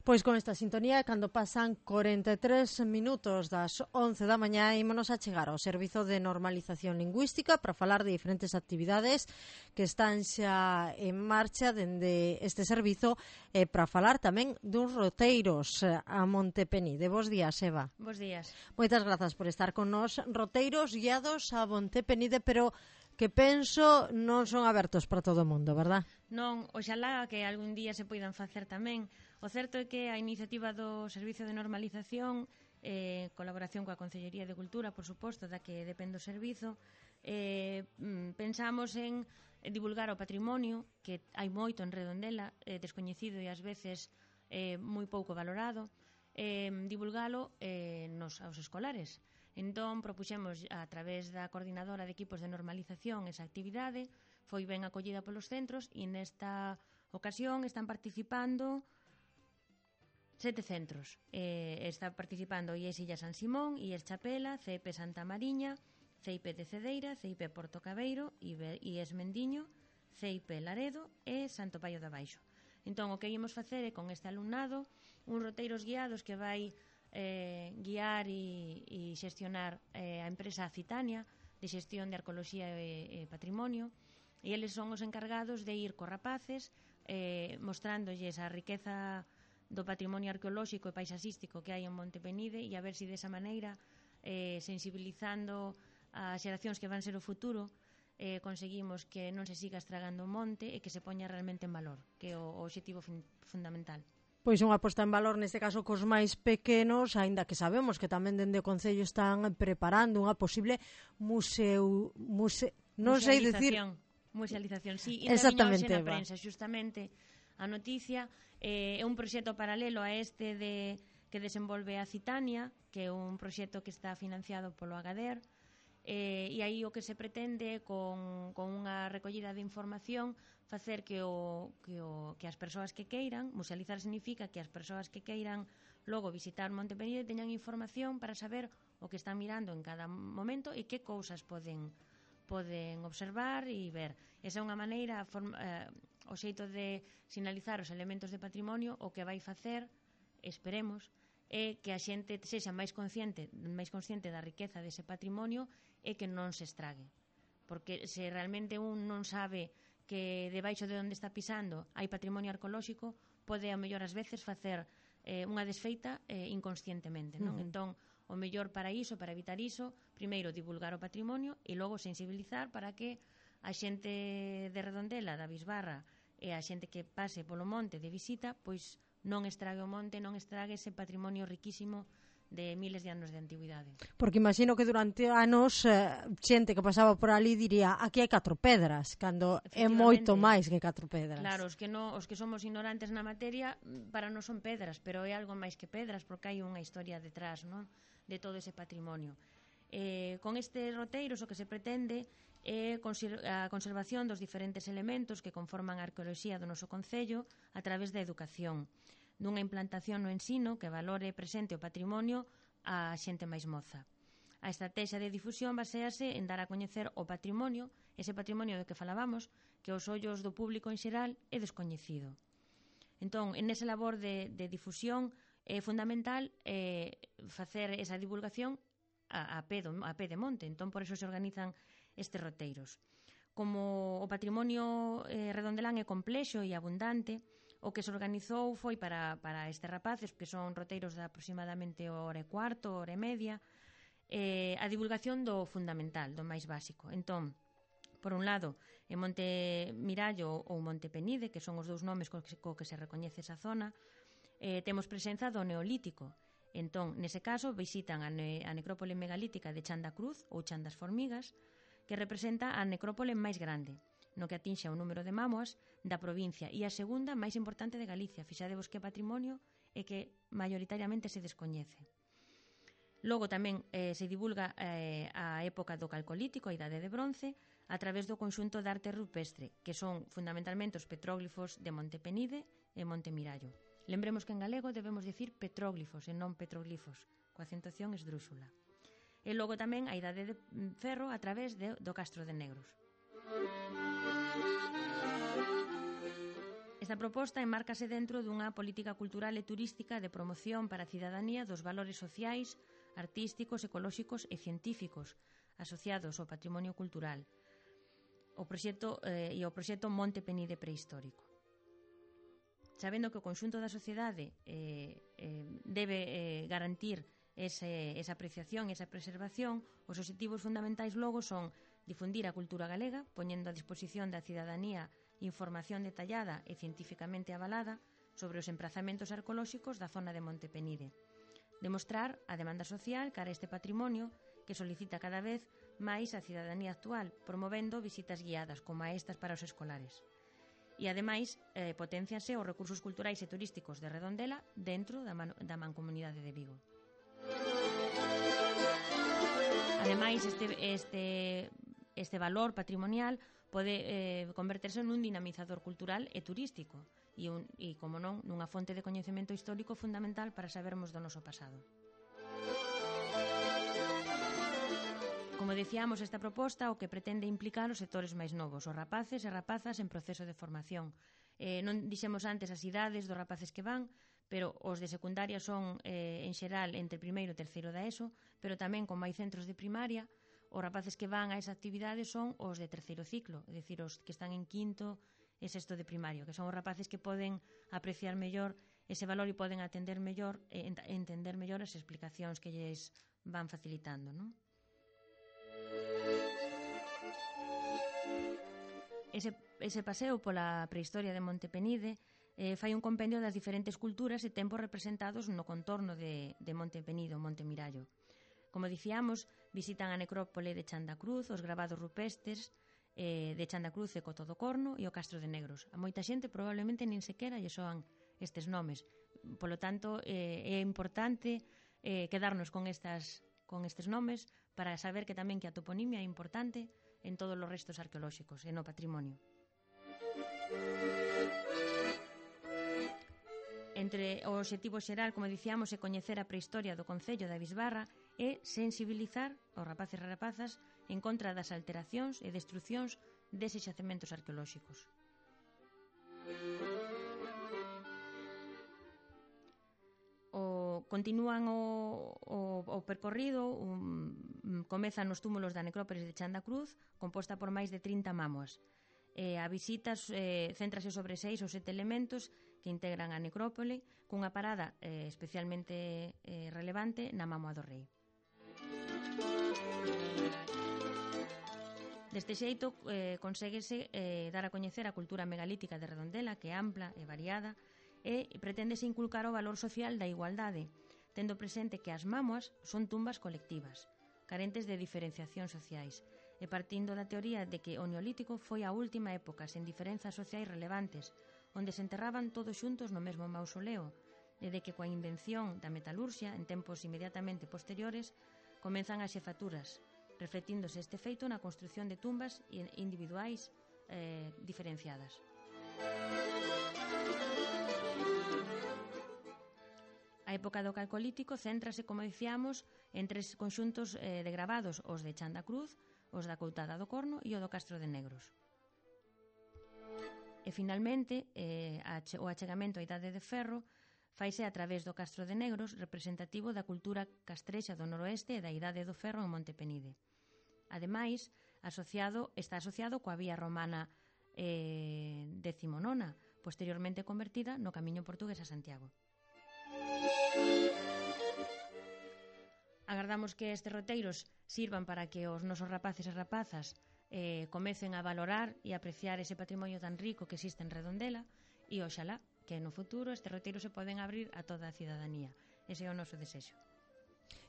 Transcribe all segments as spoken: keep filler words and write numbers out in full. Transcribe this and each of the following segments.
Pois con esta sintonía, cando pasan corenta e tres minutos das once da mañá, ímonos a chegar ao Servizo de Normalización Lingüística para falar de diferentes actividades que están xa en marcha dende este servizo e para falar tamén duns roteiros a Monte Penide. Bos días, Eva. Bos días. Moitas grazas por estar con nós. Roteiros guiados a Monte Penide, pero que penso non son abertos para todo o mundo, verdad? Non, oxalá que algún día se poidan facer tamén. O certo é que a iniciativa do Servizo de Normalización, eh, colaboración coa Consellería de Cultura, por suposto, da que depende o servizo, eh, pensamos en divulgar o patrimonio, que hai moito en Redondela, eh, descoñecido e ás veces eh, moi pouco valorado, eh, divulgalo eh, nos, aos escolares. Entón, propuxemos a través da Coordinadora de Equipos de Normalización esa actividade, foi ben acollida polos centros e nesta ocasión están participando sete centros. Eh, está participando I E S Illa San Simón, I E S Chapela, C E P Santa Mariña, C I P de Cedeira, C I P Porto Cabeiro, I E S Mendiño, C I P Laredo e Santo Paio da Baixo. Entón, o que íamos facer é con este alumnado uns roteiros guiados que vai eh, guiar e, e xestionar eh, a empresa Citania de xestión de arqueoloxía e, e patrimonio, e eles son os encargados de ir cos rapaces eh, mostrándolles a riqueza do patrimonio arqueolóxico e paisaxístico que hai en Monte Penide e a ver se desa maneira, eh, sensibilizando as xeracións que van ser o futuro, eh, conseguimos que non se siga estragando o monte e que se poña realmente en valor, que é o, o obxectivo fin, fundamental. Pois unha posta en valor neste caso cos máis pequenos, aínda que sabemos que tamén dende o Concello están preparando unha posible museu... Muse, non sei dicir... Musealización, sí, e exactamente, na prensa, xustamente a noticia eh, é un proxecto paralelo a este de que desenvolve a Citania, que é un proxecto que está financiado polo Agader, eh, e aí o que se pretende con, con unha recollida de información facer que, o, que, o, que as persoas que queiran, musealizar significa que as persoas que queiran logo visitar Monte Penide teñan información para saber o que están mirando en cada momento e que cousas poden poden observar e ver. Esa é unha maneira, forma, eh, o xeito de sinalizar os elementos de patrimonio, o que vai facer, esperemos, é que a xente sexa máis consciente, máis consciente da riqueza dese patrimonio e que non se estrague. Porque se realmente un non sabe que debaixo de onde está pisando hai patrimonio arqueolóxico, pode a mellor ás veces facer eh, unha desfeita eh, inconscientemente, non? Uh-huh. Entón, o mellor para iso, para evitar iso, primeiro divulgar o patrimonio e logo sensibilizar para que a xente de Redondela, da Bisbarra e a xente que pase polo monte de visita, pois non estrague o monte, non estrague ese patrimonio riquísimo de miles de anos de antigüidade. Porque imagino que durante anos eh, xente que pasaba por ali diría aquí hai catro pedras, cando é moito máis que catro pedras. Claro, os que, no, os que somos ignorantes na materia, para non son pedras, pero é algo máis que pedras, porque hai unha historia detrás, non? De todo ese patrimonio. Eh, con estes roteiros o que se pretende é a conservación dos diferentes elementos que conforman a arqueoloxía do noso concello a través da educación, dunha implantación no ensino que valore e presente o patrimonio á xente máis moza. A estrategia de difusión baséase en dar a coñecer o patrimonio, ese patrimonio do que falábamos, que aos ollos do público en xeral é descoñecido. Entón, en esa labor de, de difusión é fundamental eh, facer esa divulgación a, a, pé do, a pé de monte. Entón, por eso se organizan estes roteiros. Como o patrimonio eh, redondelán é complexo e abundante, o que se organizou foi para, para estes rapaces, que son roteiros de aproximadamente hora e cuarto, hora e media, eh, a divulgación do fundamental, do máis básico. Entón, por un lado, en Monte Mirallo ou Monte Penide, que son os dous nomes co que, co que se recoñece esa zona, eh, temos presenza do Neolítico. Entón, nese caso, visitan a, ne a necrópole megalítica de Chan da Cruz ou Chan das Formigas, que representa a necrópole máis grande, no que atinxe o número de mámoas da provincia e a segunda máis importante de Galicia. Fixadevos que patrimonio e que maioritariamente se descoñece. Logo tamén eh, se divulga eh, a época do Calcolítico, a Idade de Bronce, a través do conxunto de arte rupestre, que son fundamentalmente os petróglifos de Monte Penide e Monte Mirallo. Lembremos que en galego debemos dicir petróglifos e non petroglifos, coa acentuación esdrúxula. E logo tamén a Idade de Ferro a través de, do Castro de Negros. Esta proposta enmárcase dentro dunha política cultural e turística de promoción para a cidadanía dos valores sociais, artísticos, ecolóxicos e científicos asociados ao patrimonio cultural o proxecto, eh, e o proxecto Monte Penide Prehistórico. Sabendo que o conxunto da sociedade eh, eh, debe eh, garantir ese, esa apreciación e esa preservación, os obxectivos fundamentais logo son difundir a cultura galega, poñendo a disposición da cidadanía información detallada e científicamente avalada sobre os emprazamentos arqueolóxicos da zona de Monte Penide. Demostrar a demanda social cara a este patrimonio que solicita cada vez máis a cidadanía actual, promovendo visitas guiadas como estas para os escolares. E, ademais, eh, potencianse os recursos culturais e turísticos de Redondela dentro da, man da Mancomunidade de Vigo. Ademais, este, este, este valor patrimonial pode eh, converterse nun dinamizador cultural e turístico e, un, e, como non, nunha fonte de coñecemento histórico fundamental para sabermos do noso pasado. Como dicíamos, esta proposta o que pretende implicar os sectores máis novos, os rapaces e rapazas en proceso de formación. Eh, non dixemos antes as idades dos rapaces que van, pero os de secundaria son, eh, en xeral, entre primeiro e terceiro da ESO, pero tamén, como hai centros de primaria, os rapaces que van a esa actividade son os de terceiro ciclo, é dicir, os que están en quinto e sexto de primario, que son os rapaces que poden apreciar mellor ese valor e poden atender mellor e entender mellor as explicacións que lles van facilitando, non? Ese, ese paseo pola prehistoria de Monte Penide eh, fai un compendio das diferentes culturas e tempos representados no contorno de, de Monte Penide, o Monte Mirallo. Como dicíamos, visitan a necrópole de Chandacruz, os gravados rupestres eh, de Chandacruz e Coto do Corno e o Castro de Negros. A moita xente probablemente nin sequera lle soan estes nomes. Polo tanto, eh, é importante eh, quedarnos con estas con estes nomes para saber que tamén que a toponimia é importante en todos os restos arqueolóxicos e no patrimonio. Entre o obxectivo xeral, como dicíamos, é coñecer a prehistoria do concello da Bisbarra e sensibilizar os rapaces e rapazas en contra das alteracións e destruccións deses xacementos arqueolóxicos. O, continúan o, o, o percorrido, um, comezan nos túmulos da necrópolis de Chandacruz, composta por máis de trinta mámoas. Eh, a visita eh, céntrase sobre seis ou sete elementos que integran a necrópole, cunha parada eh, especialmente eh, relevante na Mámoa do Rei. Deste xeito, eh, conséguese eh, dar a coñecer a cultura megalítica de Redondela, que é ampla e variada, e preténdese inculcar o valor social da igualdade, tendo presente que as mámoas son tumbas colectivas, carentes de diferenciacións sociais, e partindo da teoría de que o Neolítico foi a última época sen diferenzas sociais relevantes, onde se enterraban todos xuntos no mesmo mausoleo, e de que coa invención da metalurxia, en tempos inmediatamente posteriores, comenzan as xefaturas, reflectíndose este feito na construción de tumbas individuais eh, diferenciadas. A época do Calcolítico céntrase, como dicíamos, en tres conxuntos eh, de gravados, os de Chandacruz, os da Coutada do Corno e o do Castro de Negros. E, finalmente, eh, o achegamento á Idade de Ferro faise a través do Castro de Negros, representativo da cultura castrexa do noroeste e da Idade do Ferro en Monte Penide. Ademais, asociado, está asociado coa vía romana eh, decimonona, posteriormente convertida no Camiño Portugués a Santiago. Agardamos que estes roteiros sirvan para que os nosos rapaces e rapazas eh, comecen a valorar e apreciar ese patrimonio tan rico que existe en Redondela e oxalá que no futuro estes roteiros se poden abrir a toda a cidadanía. Ese é o noso desexo.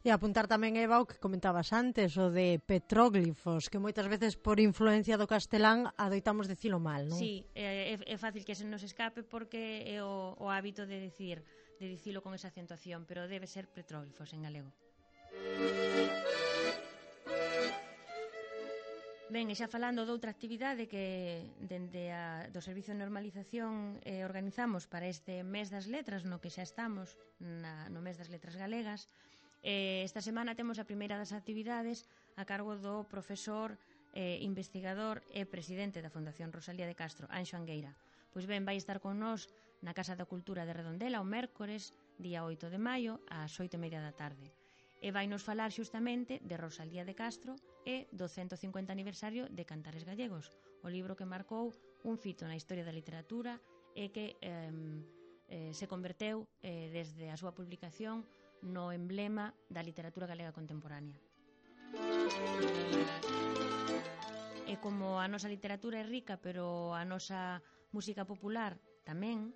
E apuntar tamén, Eva, o que comentabas antes, o de petróglifos, que moitas veces por influencia do castelán adoitamos dicilo mal, non? Sí, é, é fácil que se nos escape porque é o, o hábito de decir, de dicilo con esa acentuación, pero debe ser petróglifos en galego. Ben, e xa falando de outra actividade que dende a, do Servicio de Normalización eh, organizamos para este mes das letras, no que xa estamos, na, no mes das letras galegas, eh, esta semana temos a primeira das actividades a cargo do profesor, eh, investigador e presidente da Fundación Rosalía de Castro, Anxo Angueira, Pois ben, vai estar con nós na Casa da Cultura de Redondela o mércores, día oito de maio, ás oito e media da tarde. E vai nos falar xustamente de Rosalía de Castro e do ciento cincuenta aniversario de Cantares Gallegos, o libro que marcou un fito na historia da literatura e que eh, eh, se converteu eh, desde a súa publicación no emblema da literatura galega contemporánea. E como a nosa literatura é rica, pero a nosa música popular tamén,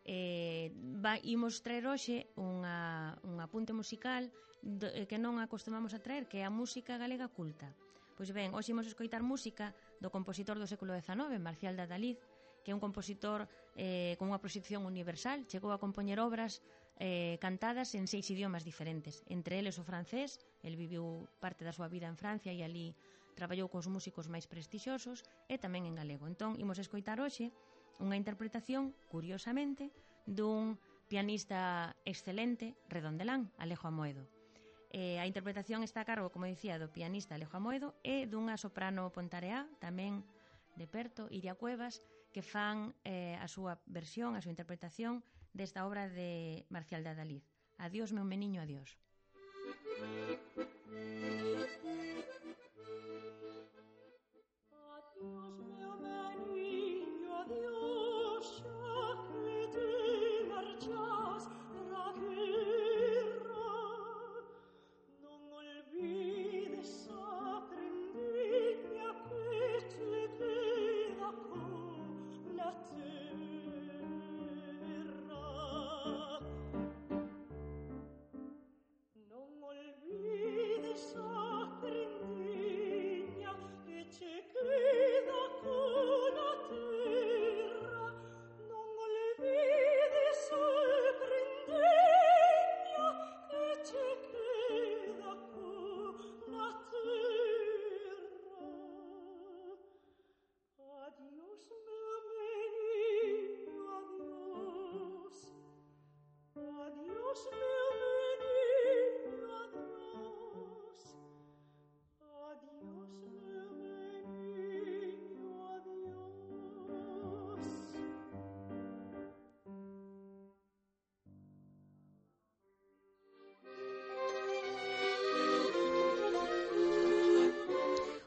eh, va, imos traer hoxe unha, un apunte musical do, eh, que non acostumamos a traer, que é a música galega culta. Pois ben, hoxe imos escoitar música do compositor do século dezanove, Marcial de Adalid, que é un compositor eh, con unha proxección universal, chegou a compoñer obras eh, cantadas en seis idiomas diferentes, entre eles o francés. El viviu parte da súa vida en Francia e ali traballou cos músicos máis prestixiosos, e tamén en galego. Entón, imos escoitar hoxe unha interpretación, curiosamente, dun pianista excelente, redondelán, Alejo Amoedo. Eh, a interpretación está a cargo, como dicía, do pianista Alejo Amoedo e dunha soprano pontareá, tamén de perto, Iria Cuevas, que fan eh, a súa versión, a súa interpretación desta obra de Marcial de Adalid. Adiós, meu meniño, adiós. Adiós, meu meniño, adiós, xa que te marchas pra guerra. Non olvides a prendiña que te queda con la terra. Non olvides a prendiña que te queda con la terra. Non olvides a prendiña que te queda con la terra. Adiós, meu meniño, adiós. Adiós, meu meniño, adiós. Adiós, meu meniño, adiós.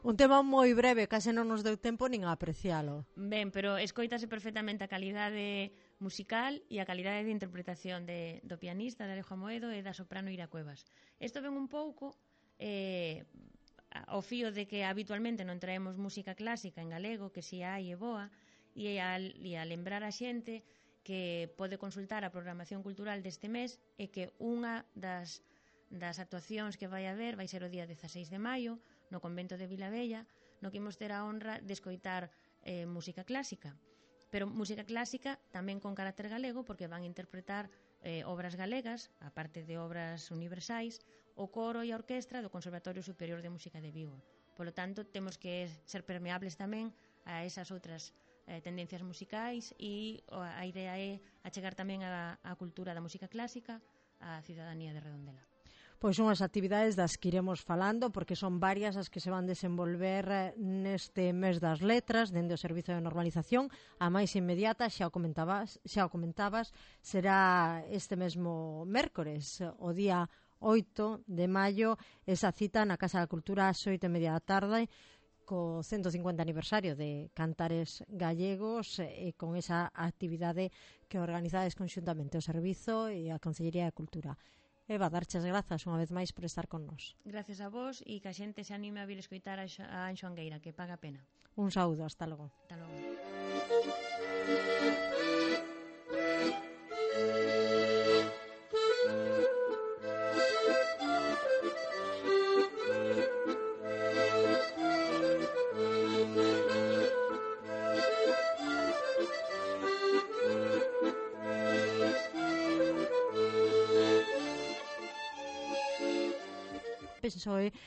Un tema moi breve, case non nos deu tempo nin a aprecialo. Ben, pero escoitase perfectamente a calidade musical e a calidade de interpretación de, do pianista, de Alejo Amoedo, e da soprano Ira Cuevas. Isto ven un pouco eh, ao fío de que habitualmente non traemos música clásica en galego, que si hai e boa, e a, e a lembrar a xente que pode consultar a programación cultural deste mes, e que unha das, das actuacións que vai haber vai ser o día dezaseis de maio, no convento de Vilavella, no que imos ter a honra de escoitar eh, música clásica. Pero música clásica tamén con carácter galego, porque van interpretar eh, obras galegas, a parte de obras universais, o coro e a orquestra do Conservatorio Superior de Música de Vigo. Polo tanto, temos que ser permeables tamén a esas outras eh, tendencias musicais, e a idea é achegar tamén a, a cultura da música clásica á cidadanía de Redondela. Pois unhas actividades das que iremos falando, porque son varias as que se van desenvolver neste mes das letras, dende o Servizo de Normalización. A máis inmediata, xa o comentabas, xa o comentabas, será este mesmo mércores, o día oito de maio, esa cita na Casa da Cultura ás oito e media da tarde, co ciento cincuenta aniversario de Cantares Gallegos, e con esa actividade que organizades conxuntamente o Servizo e a Consellería de Cultura. Eva, darches grazas unha vez máis por estar con nós. Gracias a vos, e que a xente se anime a vir escoitar a Anxo Angueira, que paga a pena. Un saúdo, hasta logo. Hasta logo. Penso